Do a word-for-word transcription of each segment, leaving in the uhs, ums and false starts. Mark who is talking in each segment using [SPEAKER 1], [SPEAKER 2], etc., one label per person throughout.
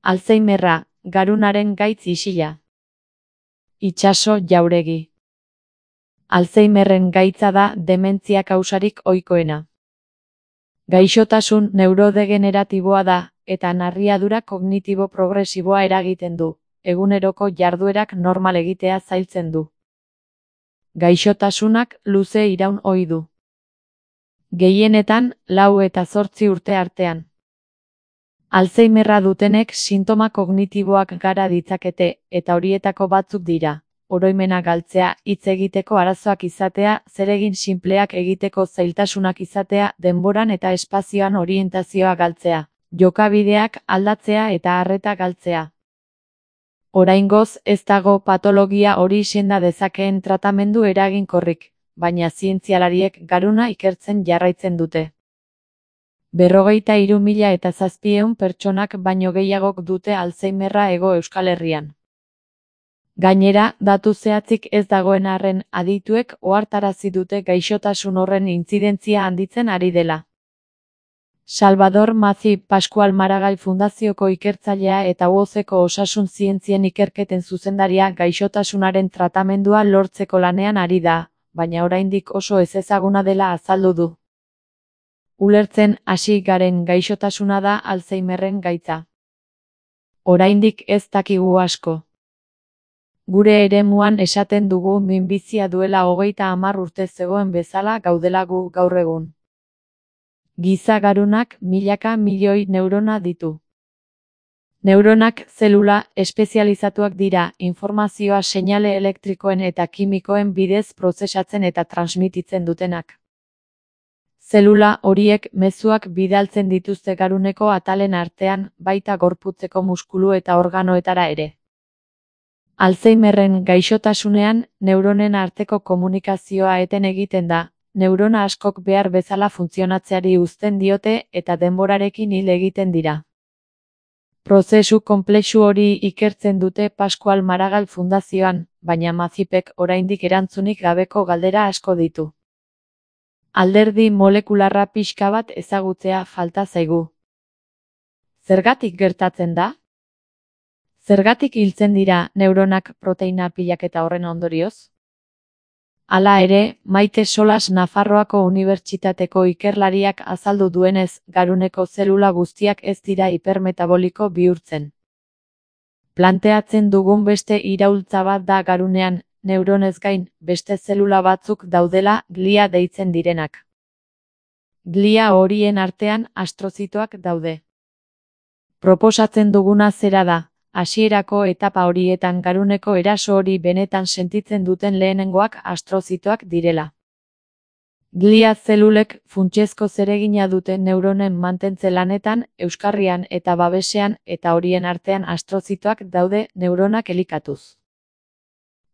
[SPEAKER 1] Alzheimerra, garunaren gaitz isila. Itsaso Jauregi. Alzheimerren gaitza da dementzia kausarik ohikoena. Gaixotasun neurodegeneratiboa da, eta narriadura kognitibo progresiboa eragiten du, eguneroko jarduerak normal egitea zailtzen du. Gaixotasunak luze iraun ohi du. Gehienetan, lau eta zortzi urte artean. Alzheimerra dutenek sintoma kognitiboak gara ditzakete, eta horietako batzuk dira: oroimena galtzea, hitz egiteko arazoak izatea, zeregin sinpleak egiteko zailtasunak izatea, denboran eta espazioan orientazioa galtzea, jokabideak aldatzea eta arreta galtzea. Oraingoz ez dago patologia hori senda dezakeen tratamendu eraginkorrik, baina zientzialariek garuna ikertzen jarraitzen dute. Berrogeita hiru mila eta zazpiehun pertsonak baino gehiagok dute Alzheimerra Hego Euskal Herrian. Gainera, datu zehatzik ez dagoen arren, adituek ohartarazi dute gaixotasun horren intzidentzia handitzen ari dela. Salvador Mazzi Pascual Maragall Fundazioko ikertzailea eta U O Zeko osasun zientzien ikerketen zuzendaria gaixotasunaren tratamendua lortzeko lanean ari da, baina oraindik oso ezezaguna dela azaldu du. Ulertzen hasi garen gaixotasuna da Alzheimerren gaitza. Oraindik ez dakigu asko. Gure eremuan esaten dugu minbizia duela hogeita hamar urte zegoen bezala gaudela gu gaur egun. Giza garunak milaka milioi neurona ditu. Neuronak zelula espezializatuak dira, informazioa seinale elektrikoen eta kimikoen bidez prozesatzen eta transmititzen dutenak. Zelula horiek mezuak bidaltzen dituzte garuneko atalen artean, baita gorputzeko muskulu eta organoetara ere. Alzheimerren gaixotasunean, neuronen arteko komunikazioa eten egiten da, neurona askok behar bezala funtzionatzeari uzten diote eta denborarekin hil egiten dira. Prozesu konplexu hori ikertzen dute Pascual Maragall Fundazioan, baina Mazzipek oraindik erantzunik gabeko galdera asko ditu. Alderdi molekularra pixka bat ezagutzea falta zaigu. Zergatik gertatzen da? Zergatik hiltzen dira neuronak proteina pilaketa horren ondorioz? Hala ere, Maite Solas Nafarroako Unibertsitateko ikerlariak azaldu duenez, garuneko zelula guztiak ez dira hipermetaboliko bihurtzen. Planteatzen dugun beste iraultza bat da garunean, neuronez gain, beste zelula batzuk daudela, glia deitzen direnak. Glia horien artean astrozitoak daude. Proposatzen duguna zera da, hasierako etapa horietan garuneko eraso hori benetan sentitzen duten lehenengoak astrozitoak direla. Glia zelulek funtsezko zeregina dute neuronen mantentze lanetan, euskarrian eta babesean, eta horien artean astrozitoak daude neuronak elikatuz.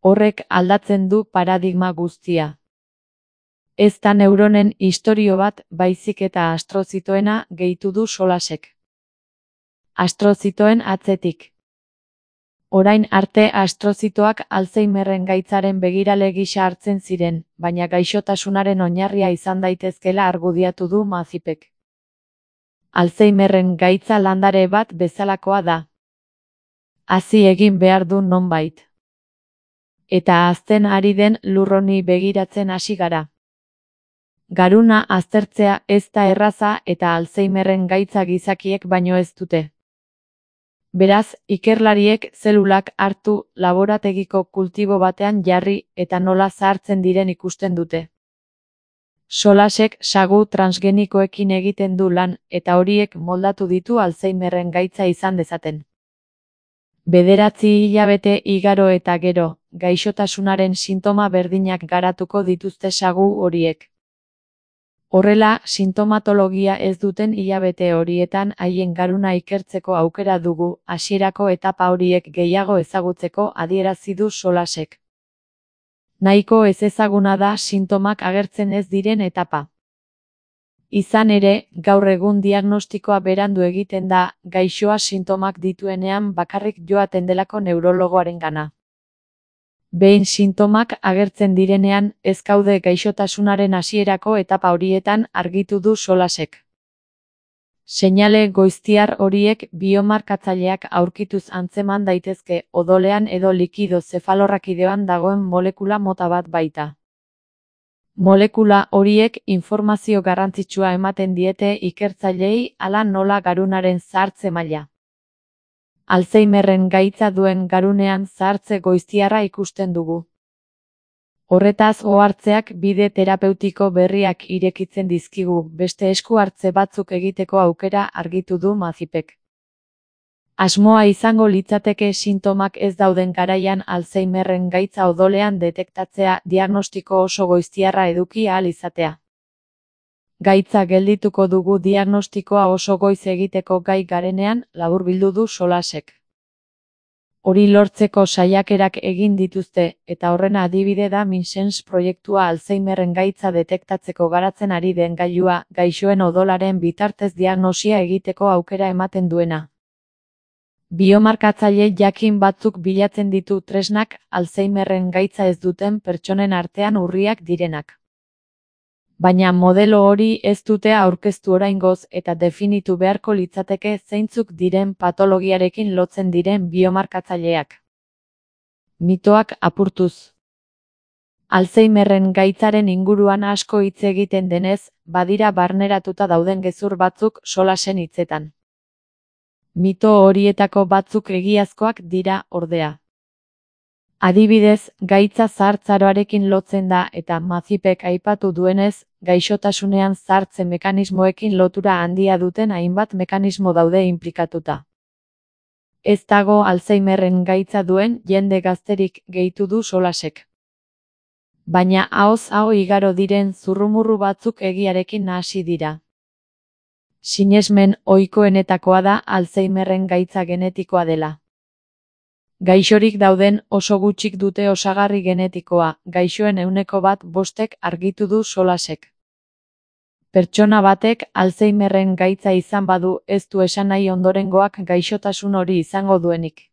[SPEAKER 1] Horrek aldatzen du paradigma guztia. Ez da neuronen istorio bat, baizik eta astrozitoena gehitu du Solasek. Astrozitoen atzetik. Orain arte astrozitoak Alzheimerren gaitzaren begirale gisa hartzen ziren, baina gaixotasunaren oinarria izan daitezkela argudiatu du Mazzipek. Alzheimerren gaitza landare bat bezalakoa da. Hazi egin behar du nonbait. Eta hazten ari den lur honi begiratzen hasi gara. Garuna aztertzea ez da erraza eta Alzheimerren gaitza gizakiek baino ez dute. Beraz, ikerlariek zelulak hartu, laborategiko kultibo batean jarri eta nola zahartzen diren ikusten dute. Solasek sagu transgenikoekin egiten du lan, eta horiek moldatu ditu Alzheimerren gaitza izan dezaten. Bederatzi hilabete igaro eta gero, gaixotasunaren sintoma berdinak garatuko dituzte sagu horiek. Horrela, sintomatologia ez duten hilabete horietan haien garuna ikertzeko aukera dugu, hasierako etapa horiek gehiago ezagutzeko adierazi du Solasek. Nahiko ezezaguna da sintomak agertzen ez diren etapa. Izan ere, gaur egun diagnostikoa berandu egiten da, gaixoa sintomak dituenean bakarrik joaten delako neurologoarengana. Behin sintomak agertzen direnean, ez gaude gaixotasunaren hasierako etapa horietan argitu du Solasek. Seinale goiztiar horiek biomarkatzaileak aurkituz antzeman daitezke odolean edo likido zefalorrakideoan dagoen molekula mota bat baita. Molekula horiek informazio garrantzitsua ematen diete ikertzaileei hala nola garunaren zahartze maila. Alzheimerren gaitza duen garunean zahartze goiztiarra ikusten dugu. Horretaz ohartzeak bide terapeutiko berriak irekitzen dizkigu, beste esku hartze batzuk egiteko aukera argitu du Mazipek. Asmoa izango litzateke sintomak ez dauden garaian Alzheimerren gaitza odolean detektatzea diagnostiko oso goiztiarra eduki ahal izatea. Gaitza geldituko dugu diagnostikoa oso goiz egiteko gai garenean, laburbildu du Solasek. Hori lortzeko saiakerak egin dituzte, eta horren adibide da MinSense proiektua Alzheimerren gaitza detektatzeko garatzen ari den gailua, gaixoen odolaren bitartez diagnosia egiteko aukera ematen duena. Biomarkatzaile jakin batzuk bilatzen ditu tresnak Alzheimerren gaitza ez duten pertsonen artean urriak direnak. Baina modelo hori ez dute aurkeztu oraingoz eta definitu beharko litzateke zeintzuk diren patologiarekin lotzen diren biomarkatzaileak. Mitoak apurtuz. Alzheimerren gaitzaren inguruan asko hitz egiten denez, badira barneratuta dauden gezur batzuk Solasen hitzetan. Mito horietako batzuk egiazkoak dira, ordea. Adibidez, gaitza zahartzaroarekin lotzen da eta Mazipek aipatu duenez, gaixotasunean zahartze mekanismoekin lotura handia duten hainbat mekanismo daude inplikatuta. Ez dago Alzheimerren gaitza duen jende gazterik, gehitu du Solasek. Baina ahoz aho igaro diren zurrumurru batzuk egiarekin nahasi dira. Sinesmen ohikoenetakoa da Alzheimerren gaitza genetikoa dela. Gaixorik dauden oso gutxik dute osagarri genetikoa, gaixoen ehuneko bat bostek argitu du Solasek. Pertsona batek Alzheimerren gaitza izan badu ez du esan nahi ondorengoak gaixotasun hori izango duenik.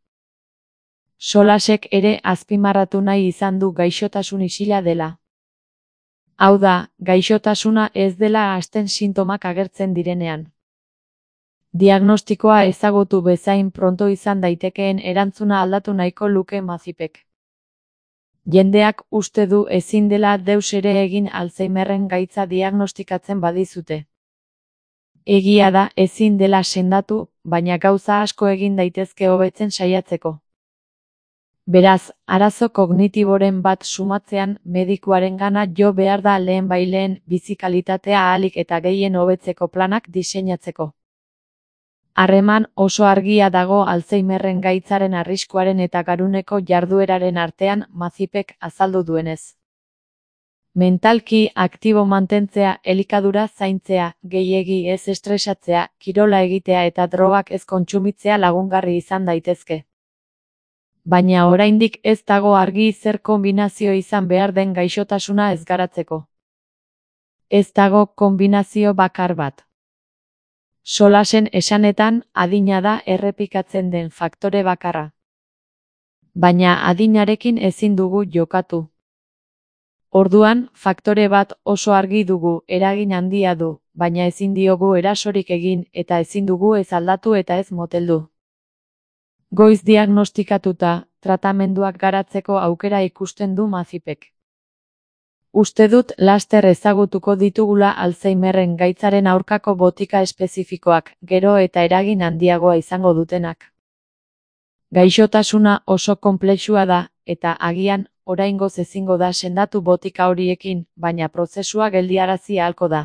[SPEAKER 1] Solasek ere azpimarratu nahi izan du gaixotasun isila dela. Hau da, gaixotasuna ez dela hasten sintomak agertzen direnean. Diagnostikoa ezagutu bezain pronto izan daitekeen erantzuna aldatu nahiko luke Mazipek. Jendeak uste du ezin dela deus ere egin Alzheimerren gaitza diagnostikatzen badizute. Egia da ezin dela sendatu, baina gauza asko egin daitezke hobetzen saiatzeko. Beraz, arazo kognitiboren bat sumatzean medikuarengana jo behar da lehen baileen bizi kalitatea ahalik eta gehien hobetzeko planak diseinatzeko. Harreman oso argia dago Alzheimerren gaitzaren arriskuaren eta garuneko jardueraren artean Mazipek azaldu duenez. Mentalki aktibo mantentzea, elikadura zaintzea, gehiegi ez estresatzea, kirola egitea eta drogak ez kontsumitzea lagungarri izan daitezke. Baina oraindik ez dago argi zer konbinazio izan behar den gaixotasuna ez garatzeko. Ez dago konbinazio bakar bat. Solasen esanetan, adina da errepikatzen den faktore bakarra. Baina adinarekin ezin dugu jokatu. Orduan, faktore bat oso argi dugu, eragin handia du, baina ezin diogu erasorik egin eta ezin dugu ez aldatu eta ez moteldu. Goiz diagnostikatuta, tratamenduak garatzeko aukera ikusten du Mazipek. Uste dut laster ezagutuko ditugula Alzheimerren gaitzaren aurkako botika espezifikoak, gero eta eragin handiagoa izango dutenak. Gaixotasuna oso konplexua da, eta agian, oraingoz ezingo da sendatu botika horiekin, baina prozesua geldiarazi ahalko da.